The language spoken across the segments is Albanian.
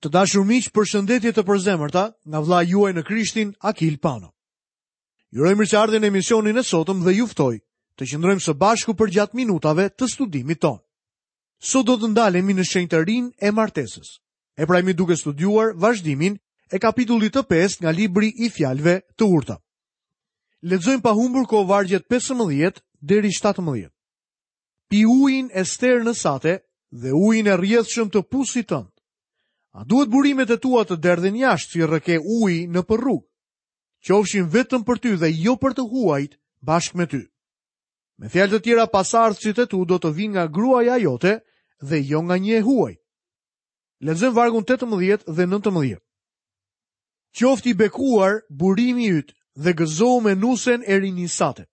Të dashur miq, përshëndetje të përzemërta nga vëllai juaj në Krishtin, Akil Pano. Ju uroj mirëseardhjen në emisionin e sotëm dhe ju ftoj të qëndrojmë së bashku përgjatë minutave të studimit tonë. Sot do të ndalemi në shenjtërinë e martesës. E pra jemi duke studiuar vazhdimin e kapitullit të 5 nga libri i fjalëve të urta. Lexojmë pa humbur kohë vargjet 15 deri 17. Pi ujin e sternës sate dhe ujin e rrjedhshëm të pusit tënd. A duhet burimet e tua të derdhen jashtë si rrëke uji nëpër rrugë? Qofshin vetëm për ty dhe jo për të huajt bashkë me ty. Me fjalë të tjera, pasardhësit e tu do të vijnë nga gruaja jote dhe jo nga një e huaj. Lexojmë vargun 18 dhe 19. Qoftë i bekuar burimi yt dhe gëzohu me nusen e rinisë sate.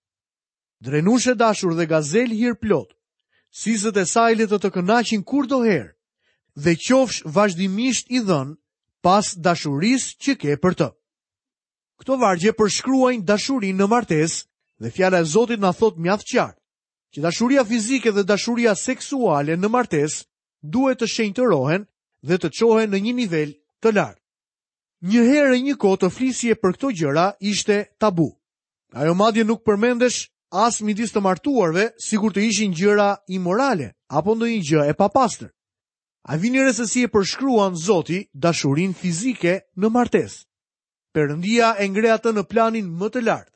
Drenushë e dashur dhe gazelë hirplotë, sisët e saj le të të kënaqin kurdoherë dhe qofsh vazhdimisht i dhënë pas dashurisë që ke për të. Këto vargje përshkruajnë dashurinë në martesë dhe fjala e Zotit na thotë mjaft qartë që dashuria fizike dhe dashuria seksuale në martesë duhet të shenjtërohen dhe të çohen në një nivel të lartë. Një herë e një kohë të flisje për këto gjëra ishte tabu. Ajo madje nuk përmendesh as midis të martuarve, sikur të ishin gjëra imorale apo ndonjë gjë e papastër. A vini re se si e përshkruan Zoti dashurinë fizike në martesë? Perëndia e ngre atë në planin më të lartë.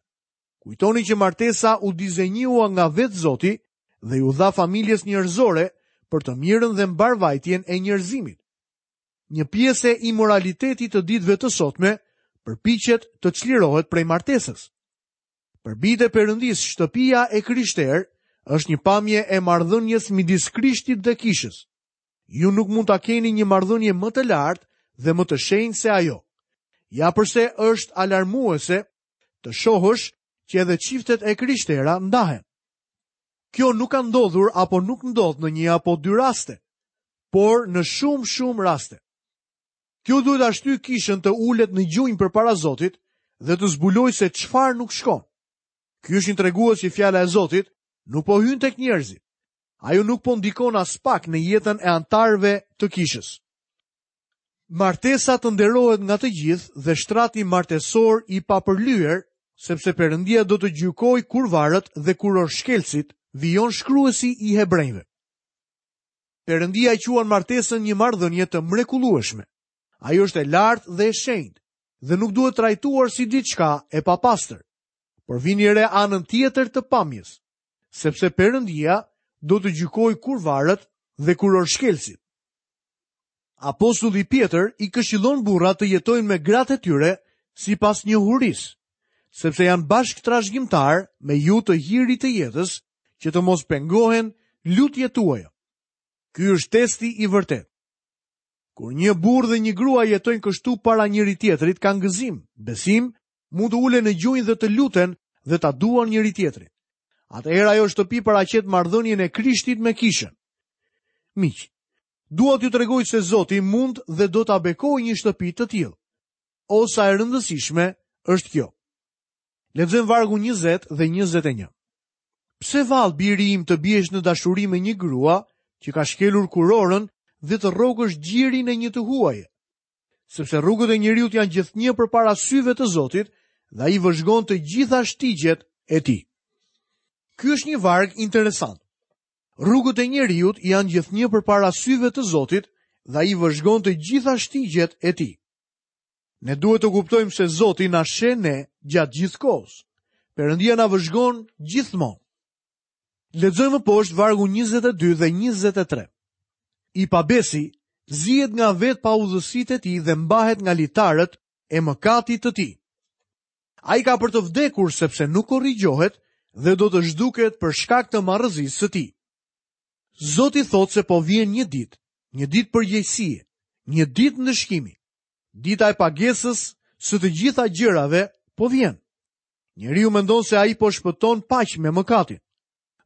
Kujtoni që martesa u dizenjua nga vetë Zoti dhe iu dha familjes njerëzore për të mirën dhe mbarëvajtjen e njerëzimit. Një pjesë e imoralitetit të ditëve të sotme përpiqet të çlirohet prej martesës. Për bijtë e Perëndisë, shtëpia e krishterë është një pamje e marrëdhënies midis Krishtit dhe kishës. Ju nuk mund ta keni një marrëdhënie më të lartë dhe më të shenjtë se ajo. Ja përse është alarmuese të shohësh që edhe çiftet e krishtera ndahen. Kjo nuk ka ndodhur apo nuk ndodh në një apo dy raste, por në shumë shumë raste. Kjo duhet ta shtyjë kishën të ulet në gjunjë përpara Zotit dhe të zbulojë se çfarë nuk shkon. Ky është një tregues që fjala e Zotit nuk po hyn tek njerëzit. Ajo nuk po ndikon aspak në jetën e anëtarëve të kishës. Martesa të nderohet nga të gjithë dhe shtrati martesor i papërlyer, sepse Perëndia do të gjykojë kurvarët dhe kurorëshkelësit, vijon shkruesi i Hebrenjve. Perëndia e quan martesën një marrëdhënie të mrekullueshme. Ajo është e lartë dhe e shenjtë dhe nuk duhet trajtuar si diçka e papastër. Por vini re anën tjetër të pamjes, sepse Perëndia do të gjykojë kurvarët dhe kurorëshkelësit. Apostulli Pjetër i këshillon burrat të jetojnë me gratë e tyre sipas njohurisë, sepse janë bashkëtrashëgimtarë me ju të hirit të jetës, që të mos pengohen lutjet tuaja. Ky është testi i vërtetë. Kur një burrë dhe një grua jetojnë kështu para njëri-tjetrit, kanë gëzim, besim, mund të ulen në gjunjë dhe të luten dhe ta duan njëri-tjetrin. Atëherë ajo shtëpi paraqet marrëdhënien e Krishtit me kishën. Miq, Dua t'ju tregoj se Zoti mund dhe do ta bekojë një shtëpi të tillë. O sa e rëndësishme është kjo. Lexojmë vargun 20 dhe 21. Pse vallë biri im të biesh në dashuri me një grua që ka shkelur kurorën dhe të rrokësh gjirin e një të huaje? Sepse rrugët e njeriut janë gjithnjë përpara syve të Zotit dhe ai vëzhgon të gjitha shtigjet e tij. Ky është një varg interesant. Rrugët e njeriut janë gjithnjë përpara syve të Zotit dhe ai vëzhgon të gjitha shtigjet e tij. Ne duhet të kuptojmë se Zoti na sheh ne gjatë gjithë kohës. Perëndia na vëzhgon gjithmonë. Lexojmë më poshtë vargun 22 dhe 23. I pabesi zihet nga vetë paudhësitë e tij dhe mbahet nga litarët e mëkatit të tij. Ai ka për të vdekur sepse nuk korrigjohet dhe do të zhduket për shkak të marrëzisë së tij. Zoti thotë se po vjen një ditë, një ditë përgjegjësie, një ditë ndëshkimi. Dita e pagesës së të gjitha gjërave po vjen. Njeriu mendon se ai po shpëton paq me mëkatin.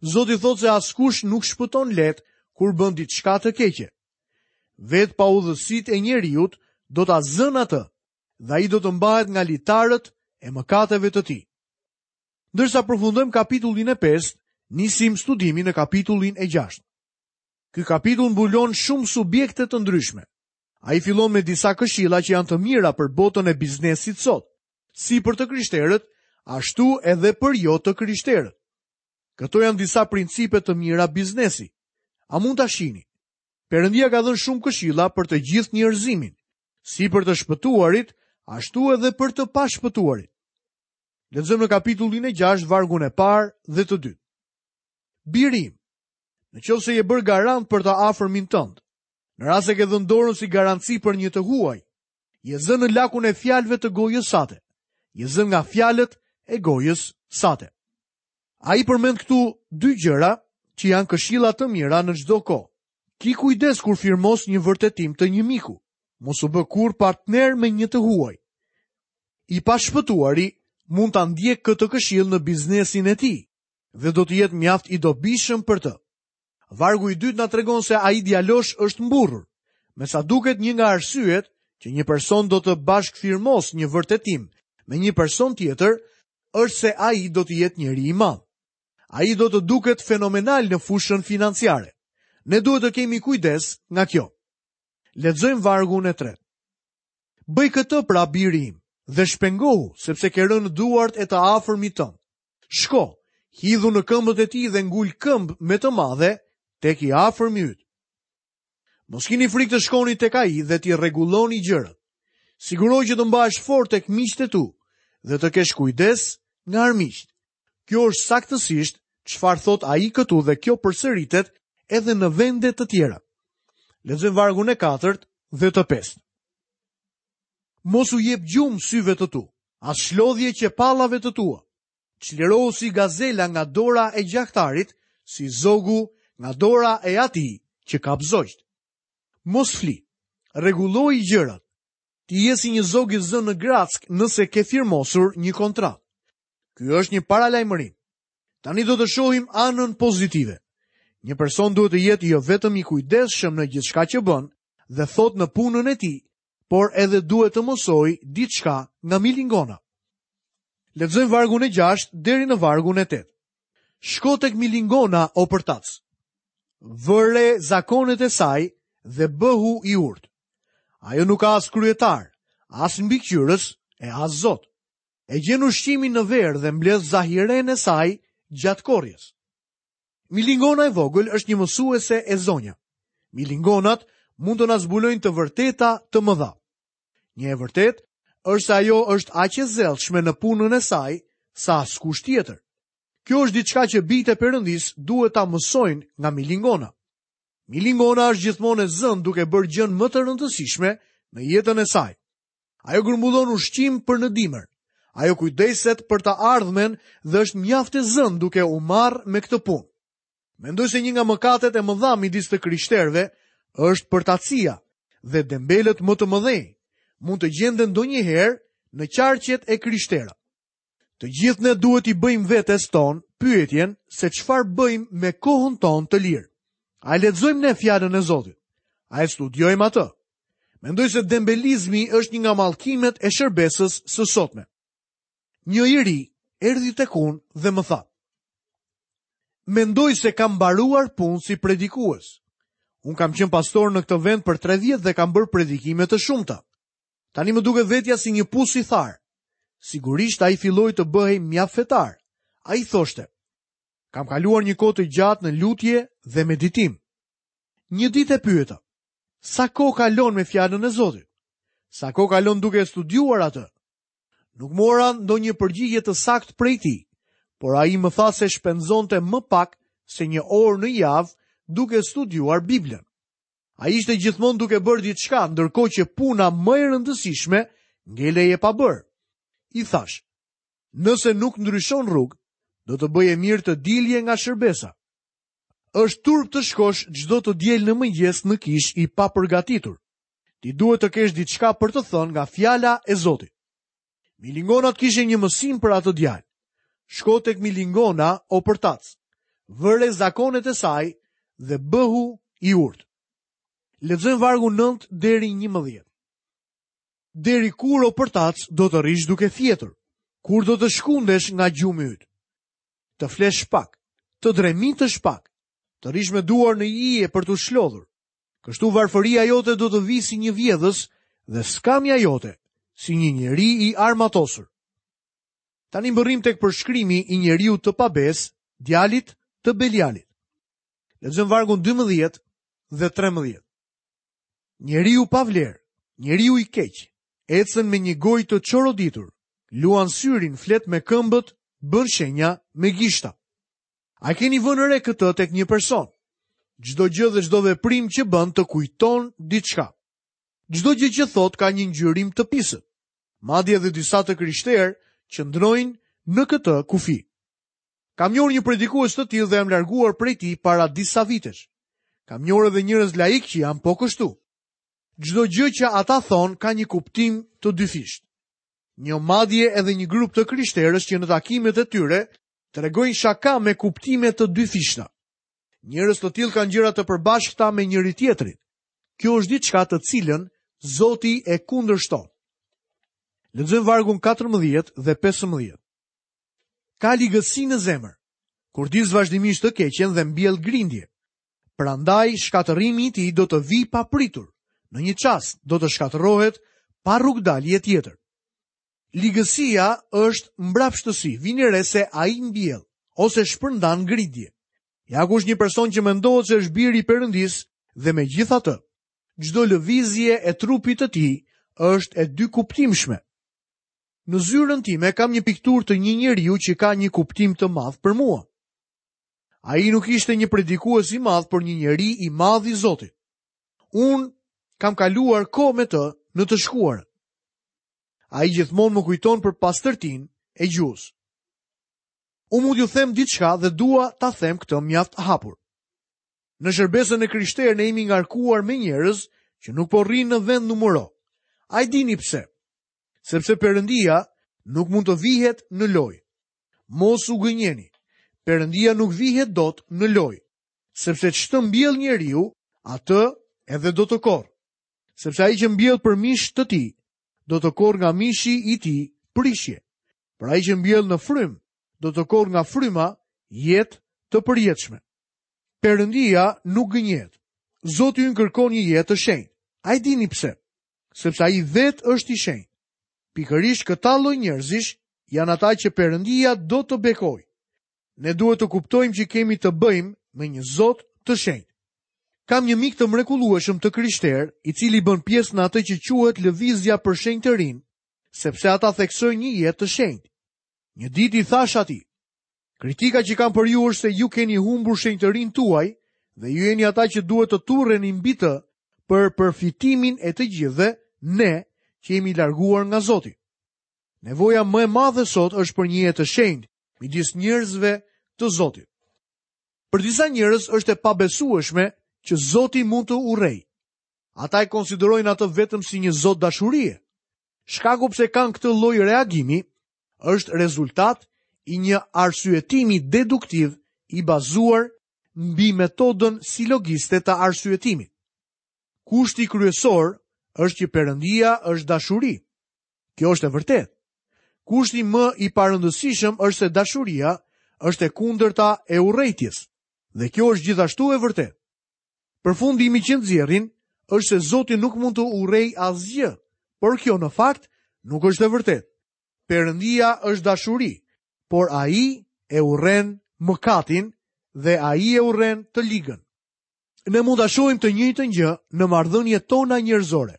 Zoti thotë se askush nuk shpëton lehtë kur bën diçka të keqe. Vetë paudhësitë e njeriut do ta zënë atë dhe ai do të mbahet nga litarët e mëkateve të tij. Ndërsa përfundojmë kapitullin e 5, nisim studimin në kapitullin e 6. Ky kapitull mbulon shumë subjekte të ndryshme. Ai fillon me disa këshilla që janë të mira për botën e biznesit sot, si për të krishterët, ashtu edhe për jo të krishterët. Këto janë disa principe të mira biznesi. A mund ta shihni? Perëndia ka dhënë shumë këshilla për të gjithë njerëzimin, si për të shpëtuarit, ashtu edhe për të pashpëtuarit. Lexojmë në kapitullin e 6, vargun e parë dhe të dytë. Biri im, në qoftë se je bërë garant për të afërmin tënd, në rast se ke dhënë dorën si garanci për një të huaj, je zënë në lakun e fjalëve të gojës sate, je zënë nga fjalët e gojës sate. Ai përmend këtu dy gjëra që janë këshilla të mira në çdo kohë. Ki kujdes kur firmos një vërtetim të një miku. Mos u bë kurrë partner me një të huaj. I pashpëtuari mund ta ndjekë këtë këshillë në biznesin e tij dhe do të jetë mjaft i dobishëm për të. Vargu i dytë na tregon se ai djalosh është mburrur. Me sa duket një nga arsyet që një person do të bashkëfirmosë një vërtetim me një person tjetër është se ai do të jetë njeri i madh. Ai do të duket fenomenal në fushën financiare. Ne duhet të kemi kujdes nga kjo. Lexojmë vargun e tretë. Bëj këtë pra biri im dhe shpengohu, sepse ke rënë në duart e të afërmit tënd. Shko, hidhu në këmbët e tij dhe ngul këmbë me të madhe tek i afërmi yt. Mos kini frikë të shkoni tek ai dhe t'i rregulloni gjërat. Sigurohu që të mbahesh fort tek miqtë e tu dhe të kesh kujdes nga armiqtë. Kjo është saktësisht çfarë thotë ai këtu dhe kjo përsëritet edhe në vende të tjera. Lexojmë vargun e katërt dhe të pestë. Mos u jep gjumë syve të tu, as shlodhje qepallave të tua. Çlirohu si gazela nga dora e gjahtarit, si zogu nga dora e atij që kap zogjtë. Mos fli, rregulloji gjërat. Ti je si një zog i zënë në grackë nëse ke firmosur një kontratë. Ky është një paralajmërim. Tani do të shohim anën pozitive. Një person duhet të jetë jo vetëm i kujdesshëm në gjithçka që bën dhe thotë në punën e tij, por edhe duhet të mësojë diçka nga milingona. Lexojmë vargun e 6 deri në vargun e 8. Shko tek milingona o përtac. Vëre zakonet e saj dhe bëhu i urtë. Ajo nuk ka as kryetar, as mbikëqyrës e as zot. E gjen ushqimin në verë dhe mbledh zahirenë e saj gjatë korrjes. Milingona e vogël është një mësuese e zonja. Milingonat mund të na zbulojnë të vërteta të mëdha. Një e vërtetë është se ajo është aq e zellshme në punën e saj sa askush tjetër. Kjo është diçka që bijtë e Perëndisë duhet ta mësojnë nga milingona. Milingona është gjithmonë e zënë duke bërë gjënë më të rëndësishme në jetën e saj. Ajo grumbullon ushqim për në dimër. Ajo kujdeset për të ardhmen dhe është mjaft e zënë duke u marrë me këtë punë. Mendoj se një nga mëkatet e mëdha midis të krishterëve është përtacia dhe dembelët më të mëdhenj mund të gjenden ndonjëherë në qarqet e krishtera. Të gjithë ne duhet t'i bëjmë vetes tonë pyetjen se çfarë bëjmë me kohën tonë të lirë. A e lexojmë ne fjalën e Zotit? A e studiojmë atë? Mendoj se dembelizmi është një nga mallkimet e shërbesës së sotme. Një i ri erdhi tek unë dhe më tha: Mendoj se kam mbaruar punë si predikues. Unë kam qenë pastor në këtë vend për 3 vjet dhe kam bërë predikime të shumta. Tani më duket vetja si një pus i tharë. Sigurisht ai filloi të bëhej mjaft fetar. Ai thoshte: Kam kaluar një kohë të gjatë në lutje dhe meditim. Një ditë e pyeta: Sa kohë kalon me fjalën e Zotit? Sa kohë kalon duke e studiuar atë? Nuk mora ndonjë përgjigje të saktë prej tij, por ai më tha se shpenzonte më pak se një orë në javë duke studiuar Biblën. Ai ishte gjithmonë duke bërë diçka, ndërkohë që puna më e rëndësishme ngelej e pabërë. I thashë, nëse nuk ndryshon rrugë, do të bëje mirë të dilje nga shërbesa. Është turp të shkosh çdo të diel në mëngjes në kishë i papërgatitur. Ti duhet të kesh diçka për të thënë nga fjala e Zotit. Milingonat kishin një mësim për atë djalë. Shko tek milingona o përtac. Vëre zakonet e saj dhe bëhu i urtë. Lexojmë vargun 9 deri 11. Deri kur o përtac do të rrish duke fjetur? Kur do të shkundesh nga gjumi yt? Të flesh pak, të dremitësh pak, të rrish me duar në ije për t'u shlodhur. Kështu varfëria jote do të vijë si një vjedhës dhe skamja jote si një njeri i armatosur. Tani mbërrijmë tek përshkrimi i njeriut të pabesë, djalit të Belialit. Lexojmë vargun 12 dhe 13. Njeriu pa vlerë, njeriu i keq, ecën me një gojë të çoroditur, luan syrin, flet me këmbët, bën shenja me gishta. A keni vënë re këtë tek një person? Çdo gjë dhe çdo veprim që bën të kujton diçka. Çdo gjë që thotë ka një ngjyrim të pisët. Madje edhe disa të krishterë qëndrojnë në këtë kufi. Kam njohur një predikues të tillë dhe jam larguar prej tij para disa vitesh. Kam njohur edhe njerëz laikë që janë po kështu. Çdo gjë që ata thonë ka një kuptim të dyfishtë. Njoh madje edhe një grup të krishterësh që në takimet e tyre tregojnë shaka me kuptime të dyfishta. Njerëz të tillë kanë gjëra të përbashkëta me njëri-tjetrin. Kjo është diçka të cilën Zoti e kundërshton. Lexojmë vargun 14 dhe 15. Ka ligësi në zemër, kurdis vazhdimisht të keqen dhe mbjell grindje. Prandaj shkatërrimi i tij do të vijë papritur, në një çast do të shkatërrohet pa rrugëdalje tjetër. Ligësia është mbrapshtësi, vini re se ai mbjell ose shpërndan grindje. Ja ku është një person që mendohet se është bir i Perëndisë dhe megjithatë, çdo lëvizje e trupit të tij është e dykuptimshme. Në zyrën time kam një pikturë të një njeriu që ka një kuptim të madh për mua. Ai nuk ishte një predikues i madh, por një njeri i madh i Zotit. Unë kam kaluar kohë me të në të shkuarën. Ai gjithmonë më kujton për pastërtinë e gjuhës. Unë mund t'ju them diçka dhe dua ta them këtë mjaft hapur. Në shërbesën e krishterë ne jemi ngarkuar me njerëz që nuk po rrinë në vendnumëro. A e dini pse? Sepse Perëndia nuk mund të vihet në lojë. Mos u gënjeni. Perëndia nuk vihet dot në lojë, sepse ç'të mbjellë njeriu, atë edhe do të korrë. Sepse ai që mbjell për mish të tij, do të korrë nga mishi i tij prishje. Por ai që mbjell në frymë, do të korrë nga fryma jetë të përjetshme. Perëndia nuk gënjehet. Zoti ynë kërkon një jetë të shenjtë. A e dini pse? Sepse ai vetë është i shenjtë. Pikërisht këta lloj njerëzish janë ata që Perëndia do të bekojë. Ne duhet të kuptojmë që kemi të bëjmë me një Zot të shenjtë. Kam një mik të mrekullueshëm të krishterë, i cili bën pjesë në atë që quhet lëvizja për shenjtërinë, sepse ata theksojnë një jetë të shenjtë. Një ditë i thashë atij, Kritika që kam për ju është se ju keni humbur shenjtërinë tuaj dhe ju jeni ata që duhet të turreni mbi të për përfitimin e të gjithëve ne që jemi larguar nga Zoti. Nevoja më e madhe sot është për një jetë të shenjtë midis njerëzve të Zotit. Për disa njerëz është e pabesueshme që Zoti mund të urrejë. Ata e konsiderojnë atë vetëm si një Zot dashurie. Shkaku pse kanë këtë lloj reagimi është rezultat i një arsyetimi deduktiv i bazuar mbi metodën silogiste të arsyetimit. Kushti kryesor është që Perëndia është dashuri. Kjo është e vërtetë. Kushti më i parëndësishëm është se dashuria është e kundërta e urrejtjes. Dhe kjo është gjithashtu e vërtetë. Përfundimi që nxjerrin është se Zoti nuk mund të urrejë asgjë, por kjo në fakt nuk është e vërtetë. Perëndia është dashuri, por ai e urren mëkatin dhe ai e urren të ligën. Ne mund ta shohim të njëjtën gjë në marrëdhëniet tona njerëzore.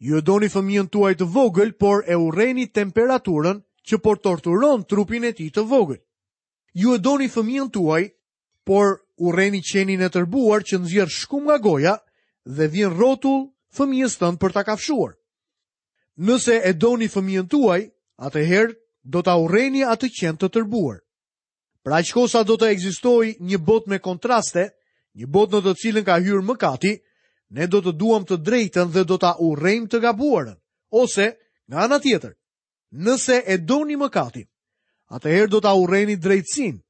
Ju e doni fëmijën tuaj të vogël, por e urreni temperaturën që po torturon trupin e tij të vogël. Ju e doni fëmijën tuaj, por urreni qenin e tërbuar që nxjerr shkumë nga goja dhe vjen rrotull fëmijës tënd për ta kafshuar. Nëse e doni fëmijën tuaj, atëherë do ta urreni atë qen të tërbuar. Për aq kohë sa do të ekzistojë një botë me kontraste, një botë në të cilën ka hyrë mëkati, ne do të duam të drejtën dhe do ta urrejmë të gabuarën. Ose, nga ana tjetër, nëse e doni mëkatin, atëherë do ta urreni drejtësinë.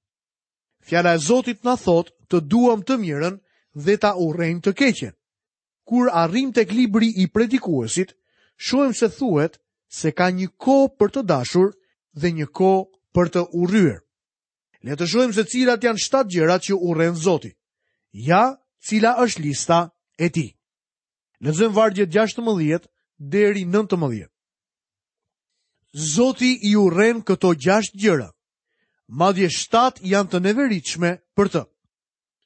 Fjala e Zotit na thotë të duam të mirën dhe ta urrejmë të keqen. Kur arrijmë tek libri i predikuesit, shohim se thuhet se ka një kohë për të dashur dhe një kohë për të urryer. Le të shohim se cilat janë shtatë gjërat që urren Zoti. Ja, cila është lista e tij. Lexojmë vargjet 16 deri 19. Zoti i urren këto 6 gjëra. Madje 7 janë të neveritshme për të.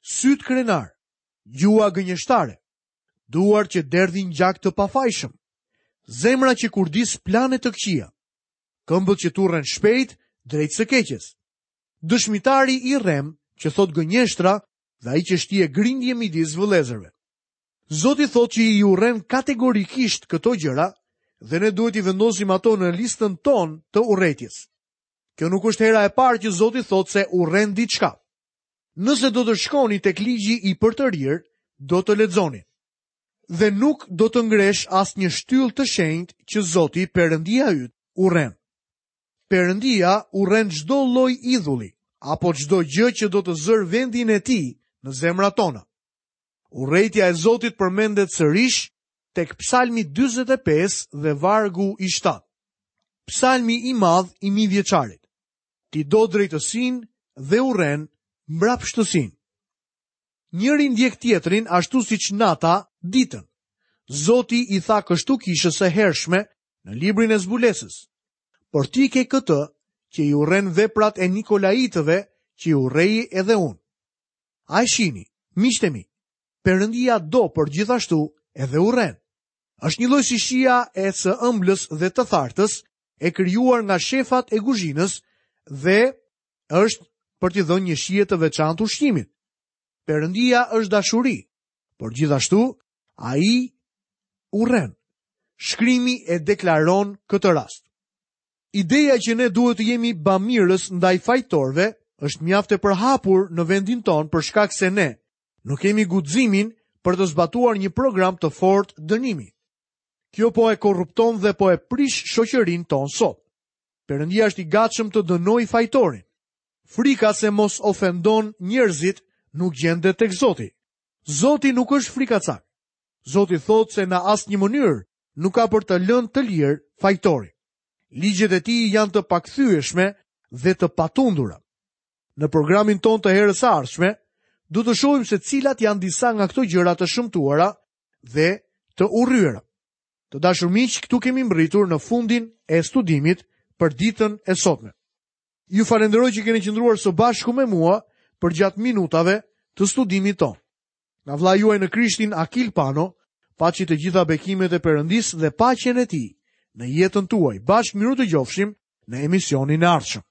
Sytë krenarë, gjuha gënjeshtare, duart që derdhin gjak të pafajshëm, zemra që kurdis plane të këqija, këmbët që turren shpejt drejt së keqes. Dëshmitari i rremë që thotë gënjeshtra dhe ai që shtie grindje midis vëllezërve. Zoti thotë që i urren kategorikisht këto gjëra dhe ne duhet t'i vendosim ato në listën tonë të urrejtjes. Kjo nuk është hera e parë që Zoti thotë se urren diçka. Nëse do të shkoni tek ligji i përtërirë, do të lexoni. Dhe nuk do të ngresh asnjë shtyllë të shenjtë që Zoti, Perëndia yt, urren. Perëndia urren çdo lloj idhulli apo çdo gjë që do të zërë vendin e tij në zemrat tona. Urrejtja e Zotit përmendet sërish tek Psalmi 45 dhe vargu i 7. Psalmi i madh i mijëvjeçarit. Ti do drejtësinë dhe urren mbrapshtësinë. Njëri ndjek tjetrin ashtu siç nata ditën. Zoti i tha kështu kishës së hershme në librin e zbulesës. Por ti ke këtë që i urren veprat e Nikolaitëve që i urrej edhe unë. A e shihni, miqtë e mi, Perëndia do, por gjithashtu edhe urren. Është njëlloj si shija e së ëmblës dhe të thartës, e krijuar nga shefat e kuzhinës dhe është për t'i dhënë një shije të veçantë ushqimit. Perëndia është dashuri, por gjithashtu ai urren. Shkrimi e deklaron këtë rast. Ideja që ne duhet të jemi bamirës ndaj fajtorëve është mjaft e përhapur në vendin tonë për shkak se ne nuk kemi guximin për të zbatuar një program të fortë dënimi. Kjo po e korrupton dhe po e prish shoqërinë tonë sot. Perëndia është i gatshëm të dënojë fajtorin. Frika se mos ofendon njerëzit nuk gjendet tek Zoti. Zoti nuk është frikacak. Zoti thotë se në asnjë mënyrë nuk ka për të lënë të lirë fajtorin. Ligjet e tij janë të pakthyeshme dhe të patundura. Në programin tonë të herës së ardhshme, do të shohim se cilat janë disa nga këto gjëra të shëmtuara dhe të urryera. Të dashur miq, këtu kemi mbërritur në fundin e studimit për ditën e sotme. Ju falenderoj që keni qëndruar së bashku me mua përgjatë minutave të studimit tonë. Nga vëllai juaj në Krishtin Akil Pano, paçi të gjitha bekimet e Perëndisë dhe paqen e tij në jetën tuaj. Bashkë mirudëgjofshim në emisionin e ardhshëm.